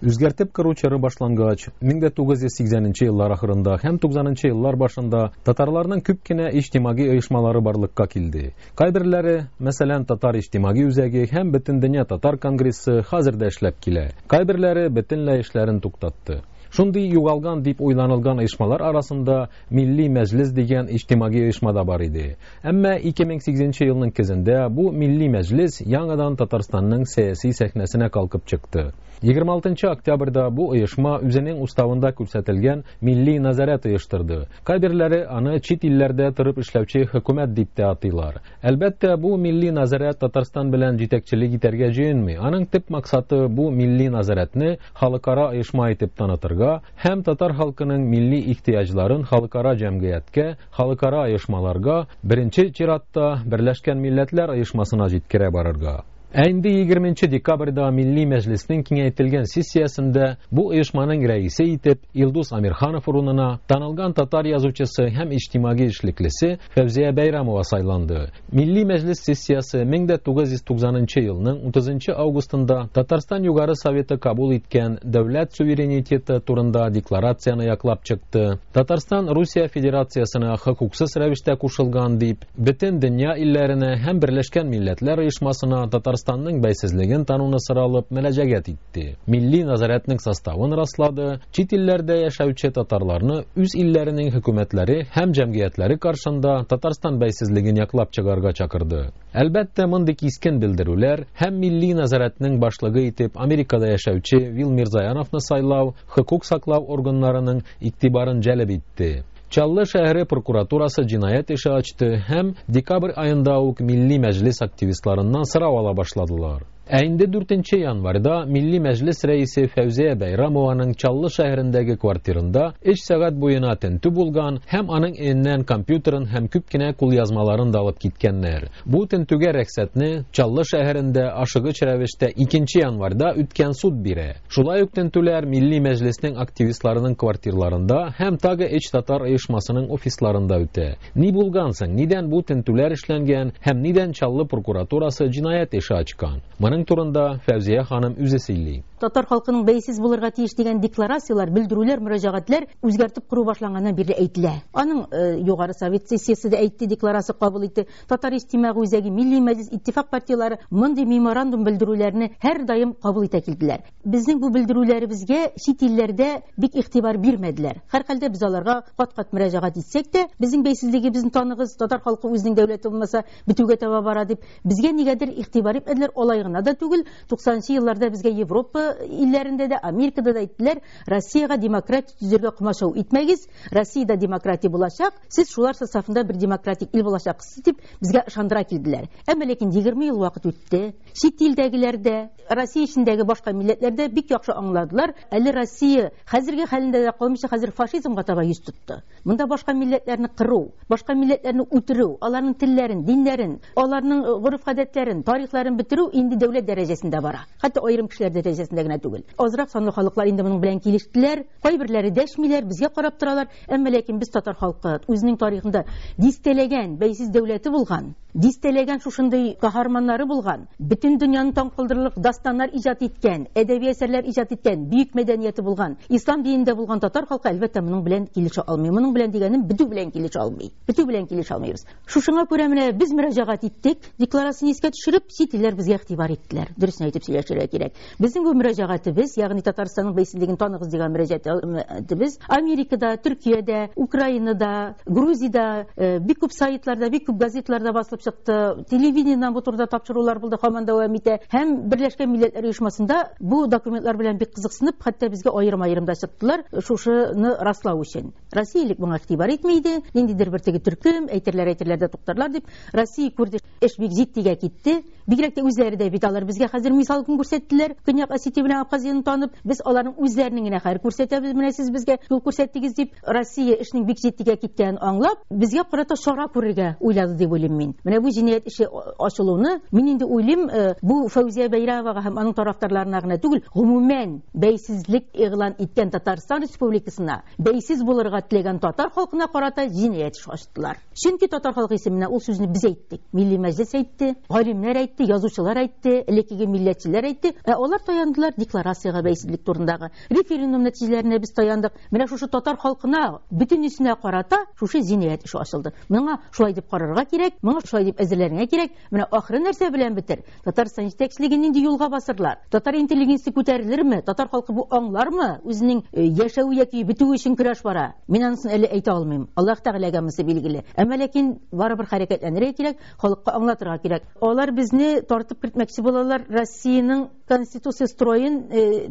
Үзгәртеп кору чоры башлангач, 1980 нче еллар ахырында һәм 90 нчы еллар башында татарларның күп кенә иҗтимагый оешмалары барлыкка килде. Кайберләре, мәсәлән, Татар иҗтимагый үзәге һәм Бөтендөнья татар конгрессы хәзер дә эшләп килә. Кайберләре бөтенләй эшләрен туктатты. Шундый югалган дип уйланылган оешмалар арасында Милли Мәҗлес дигән иҗтимагый оешма да бар иде. Әмма 2008 нче елның көзендә бу Милли Мәҗлес яңадан Татарстанның сәяси сәхнәсенә калкып чыкты. 26 нчы октябрьдә бу оешма үзенең уставында күрсәтелгән Милли назарәт оештырды. Кайберләре аны чит илләрдә торып эшләүче хөкүмәт дип тә атыйлар. Әлбәттә, бу Милли назарәт Татарстан белән җитәкчелек итәргә җыенмый. Аның төп максаты бу Милли назарәтне халыкара оешма итеп танытырга һәм татар халкының милли ихтыяҗларын халыкара җәмгыятькә, халыкара оешмаларга, беренче чиратта, Берләшкән Милләтләр Оешмасына җиткерә барырга. Ә инде 20 нче декабрьдә Милли Мәҗлеснең киңәйтелгән сессиясендә бу оешманың рәисе итеп Илдус Амирханов урынына танылган татар язучысы һәм иҗтимагый эшлеклесе Фәүзия Бәйрәмова сайланды. Милли Мәҗлес сессиясе 1990 нчы елның 30 нчы августында Татарстан Югары Советы кабул иткән Дәүләт суверенитеты турында декларацияне яклап чыкты. Татарстан Русия Федерациясенә хокуксыз рәвештә кушылган дип, Бөтен дөнья илләренә һәм Берләшкән Милләтләр Оешмасына Татарстанның бәйсезлеген тануны соралып мөрәҗәгать итте, Милли назарәтнең составын раслады, чит илләрдә яшәүче татарларны үз илләренең хөкүмәтләре һәм җәмгыятьләре каршында Татарстан бәйсезлеген яклап чыгарга чакырды. Әлбәттә, мондый кискен белдерүләр һәм Милли назарәтнең башлыгы итеп Америкада яшәүче Вил Мирзаяновны сайлау хокук саклау органнарының игътибарын җәлеп итте. Чаллы шәһәре прокуратурасы җинаять эше ачты һәм декабрь аенда ук Милли Мәҗлес активистларыннан сорау ала башладылар. Ә инде 4 январьда Милли Мәҗлес рәисе Фәүзия Бәйрамованың Чаллы шәһәрендәге квартирында өч сәгать буена тентү булган һәм аның өеннән компьютерын һәм күп кенә кулъязмаларын да алып киткәннәр. Бу тентүгә рәхсәтне Чаллы шәһәрендә ашыгыч рәвештә 2 январьда үткән суд бирә. Шулай ук тентүләр Милли Мәҗлеснең активистларының квартирларында һәм тагы өч татар оешмасының офисларында үтә. Ни булган соң, нидән бу тентүләр эшләнгән һәм нидән Чаллы прокуратурасы җинаять эше ачкан? Моның турында Фәүзия ханым үзе сөйли. Татар халкының бәйсез булырга тиеш дигән декларацияләр, белдерүләр, мөрәҗәгатьләр үзгәртеп кору башланганнан бирле әйтелә. Аның Югары Совет сессиясе дә әйтте, декларация кабул итте. Татар иҗтимагый үзәге, Милли мәҗлес, Иттифак партияләре мондый меморандум белдерүләрне һәрдаим кабул итә килделәр. Безнең бу белдерүләребезгә чит илләрдә бик игътибар бирмәделәр. Һәрхәлдә без аларга кат-кат мөрәҗәгать итсәк тә, безнең бәйсезлегебезне таныгыз, татар халкы үзенең дәүләте булмаса, бетүгә таба бара дип, безгә нигәдер игътибар итмәделәр. Алай гына да түгел, 90 нчы елларда безгә Европа илләрендә дә, Америкада да әйттеләр, Россиягә демократия төзергә комачау итмәгез, Россиядә демократия булачак, сез шулар составында бер демократик ил булачаксыз дип безгә ышандыра килделәр. Әмма ләкин 20 ел вакыт үтте. Чит илдәгеләр дә, Россия эчендәге башка милләтләр дә бик яхшы аңладылар, әле Россия хәзерге хәлендә дә калмыйча хәзер фашизмга таба йөз тотты. Монда башка милләтләрне кыру, башка милләтләрне үтерү, аларның телләрен, диннәрен, аларның гореф-гадәтләрен, тарихларын бетерү инде дәүләт дәрәҗәсендә бара. Хәтта аерым кешеләр дәрәҗәсендә генә түгел. Азрак санлы халыклар инде моның белән килештеләр. Кайберләре дәшмиләр, безгә карап торалар. Әмма ләкин без татар халкы үзенең тарихында дистәләгән бәйсез дәүләте булган, дистәләгән шушындый каһарманнары булган, бөтен дөньяны таң калдырырлык дастаннар иҗат иткән, әдәби әсәрләр иҗат иткән, бөек мәдәнияте булган, ислам динендә булган татар халкы, әлбәттә, моның белән килешә алмый. Моның белән дигәнем, бетү белән килешә алмый. Бетү белән килешә алмыйбыз. Шушыңа күрә менә без мөрәҗәгать иттек, декларацияне искә төшереп, чит илләр безгә игътибар иттеләр. Дөресен әйтеп сөйләшергә кирәк. Безнең бу мөрәҗәгатебез, ягъни Татарстанның бәйсезлеген таныгыз дигән мөрәҗәгатебез Америкада, Төркиядә, Украинада, Грузиядә, бик күп сайтларда, бик күп газетларда басылып чыкты. Телевидениедән бу турыда тапшырулар булды, һаман дәвам итә. Һәм Берләшкән Милләтләр Оешмасында бу документлар белән бик кызыксынып, хәтта безгә аерым-аерым да чыктылар, шушыны раслау өчен. Россия элек моңа игътибар итми иде, ниндидер бер теге төркем, әйтерләр, әйтерләр дә туктарлар дип. Россия күрде, эш бик җитдигә китте. Бигрәк тә үзләре дә бит алар безгә хәзер мисал көн күрсәттеләр. Көньяк Осетия белән Абхазияне танып, без аларның үзләренең генә хәер күрсәтәбез, менә сез безгә юл күрсәттегез дип. Россия эшнең бик җитдигә киткәнен аңлап, безгә карата чара күрергә уйлады дип уйлыйм мин. Менә бу җинаять эше ачылуны мин инде уйлыйм, бу Фәүзия Бәйрәмовага һәм аның тарафдарларына гына түгел, гомумән, бәйсезлек игълан иткән Татарстан Республикасына Бәйсез булырга теләгән татар халкына карата җинаять эше ачтылар. Чөнки татар халкы исеменнән ул сүзне без әйттек. Милли Мәҗлес әйтте, галимнәр әйтте. әйтте, язучылар әйтте, элеккеге милләтчеләр әйтте. Ә алар таяндылар декларациягә бәйсезлек турындагы. Референдум нәтиҗәләренә без таяндык. Менә шушы татар халкына бөтенесенә карата шушы җинаять эше ачылды. Моңа шулай дип карарга кирәк, моңа шулай дип әзерләнергә кирәк. Менә ахыры нәрсә белән бетер? Татарстан җитәкчелеге нинди юлга басырлар? Татар интеллигенциясе күтәрелерме? Татар халкы бу аңлармы? Үзенең яшәве яки бетүе өчен көрәш бара. Мин анысын әле әйтә алмыйм. Аллаһ Тәгаләгә монысы билгеле. Әмма ләкин барыбер хәрәкәтләнергә кирәк, халыкка аңлатырга кирәк. Алар безне тартып кертмәкче булалар, Россиянең конституция строен,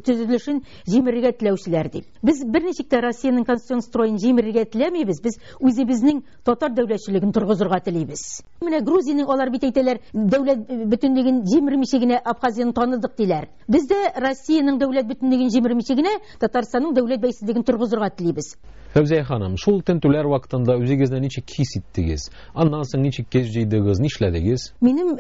төзелешен җимерергә теләүчеләр дип. Без берничек тә Россиянең конституцион строен җимерергә теләмибез, без үзебезнең татар дәүләтчелеген торгызырга телибез. Менә Грузиянең алар бит әйтәләр, дәүләт бөтенлеген җимермичә генә Абхазияны таныдык диләр. Без дә Россиянең дәүләт бөтенлеген җимермичә генә Татарстанның дәүләт бәйсезлеген торгызырга телибез. Фәүзия ханым, шул тентүләр вакытында үзегезне ничек хис иттегез? Аннан соң ничек кеш җыйдыгыз, нишләдегез? Минем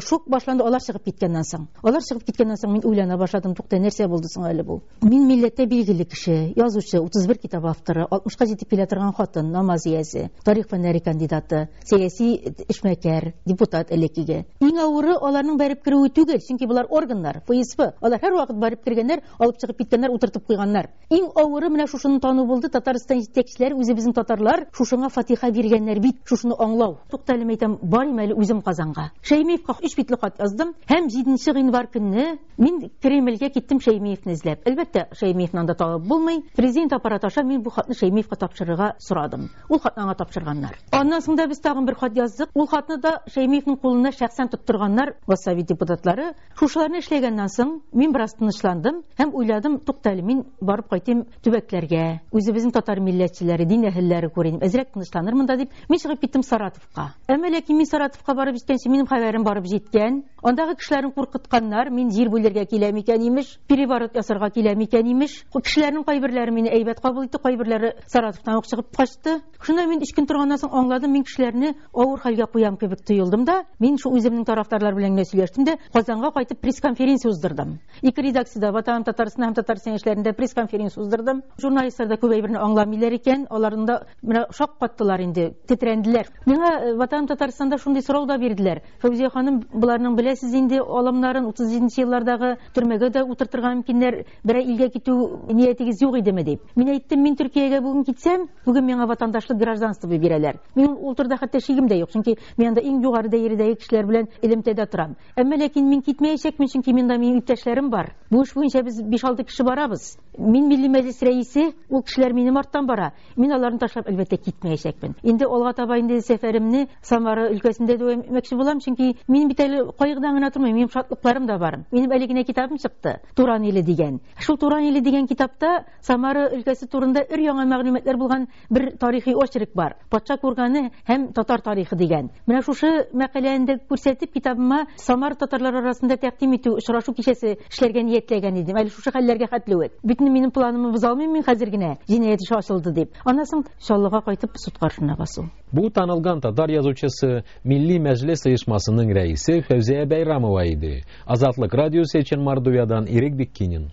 шок башланды алар чыгып киткәннән соң. Алар чыгып киткәннән соң мин уйлана башладым, тукта, нәрсә булды соң әле бу? Мин милләттә билгеле кеше, язучы, 31 китап авторы, 60-ка җитеп килә торган хатын, намаз иясе, тарих фәннәре кандидаты, сәяси эшмәкәр, депутат элеккеге. Иң авыры аларның барып керүе түгел, чөнки булар органнар, ФСБ. Алар һәрвакыт барып кергәннәр, алып чыгып киткәннәр, утыртып куйганнар. Иң авыры менә шушыны тану булды. Татарстан җитәкчеләре, үзебезнең татарлар шушыңа фатиха биргәннәр бит, шушыны аңлау. Тукта әле, әйтәм, барыйм әле үзем Казанга. Шәймиевка 3 битле хат яздым һәм 7 гыйнвар көнне мин Кремльгә киттем Шәймиевне эзләп. Әлбәттә, Шәймиевне анда табып булмый. Президент аппараты аша мин бу хатны Шәймиевка тапшырырга сорадым. Ул хатны аңа тапшырганнар. Аннан соң да без тагын бер хат яздык. Ул хатны да Шәймиевнең кулына шәхсән тоттырганнар Госсовет депутатлары. Шушыларны эшләгәннән соң мин бераз тынычландым һәм уйладым, тукта әле, мин барып кайтыйм төбәкләргә, үзебезнең татар милләтчеләре, дин әһелләре күрим, әзрәк тынычланырмын да дип, мин чыгып киттем Саратовка. Әмма ләкин мин Саратовка барып җиткәнче минем хәбәрем барып җиткән. Андагы кешеләрне куркытканнар, мин җир бүлергә киләм икән имеш, переворот ясарга киләм икән имеш. Кешеләрнең кайберләре мине әйбәт кабул итте, кайберләре Саратовтан ук чыгып качты. Шунда мин 3 көн торганнан соң аңладым, мин кешеләрне авыр хәлгә куям кебек тоелдым да, мин шу үземнең тарафдарлар белән генә сөйләштем дә, Казанга кайтып пресс-конференция уздырдым. Ике редакциядә, Ватаным Татарстан һәм Татарстан яшьләрендә пресс-конференция уздырдым. Журналистлар да күп әйберне аңламыйлар икән, аларны да менә шаккаттылар инде, тетрәнделәр. Миңа Ватаным Татарстанда шундый сорау да бирделәр. Фәүзия ханым, буларның беләсез инде алымнарын 37 еллардагы төрмәгә дә утыртырга мөмкиннәр, берәр илгә китү ниятегез юк идеме дип. Мин әйттем, мин Төркиягә бүген китсәм, бүген миңа ватандашлык гражданство бирәләр. Мин ул турыда хәтта шигем дә юк, чөнки мин анда иң югары дәрәҗәдәге кешеләр белән элемтәдә торам. Әмма ләкин мин китмәячәкмен, чөнки монда минем иптәшләрем бар. Бу эш буенча без 5-6 кеше барабыз. Мин Милли Мәҗлес рәисе, ул кешеләр минем арттан бара. Мин аларны ташлап әлбәттә китмәячәкмен. Инде алга таба инде сәфәремне Самара өлкәсендә дәвам итмәкче булам, чөнки мин бит әле кайгыдан гына тормыйм, минем шатлыкларым да бар. Минем әле генә китабым чыкты, Туран иле дигән. Шул Туран иле дигән китапта Самара өлкәсе турында өр яңа мәгълүматлар булган бер тарихи очерк бар. Патша курганы һәм татар тарихы дигән. Менә шушы мәкаләне дә күрсәтеп, китабыма Самара татарлары арасында тәкъдим итү очрашу кичәсе эшләргә ниятләгән идем. Әле шушы хәлләргә хәтле үк. Бөтен минем планымны боза алмыйм мин хәзер генә. Җинаять эше ачылды дип. Аннан соң Чаллыга кайтып суд каршына басу. Бу танылган татар язучысы, Милли Мәҗлес оешмасының рәисе Фәүзия Бәйрамова иде. Азатлык радиосы өчен Мордовиядан Ирек Биккинин.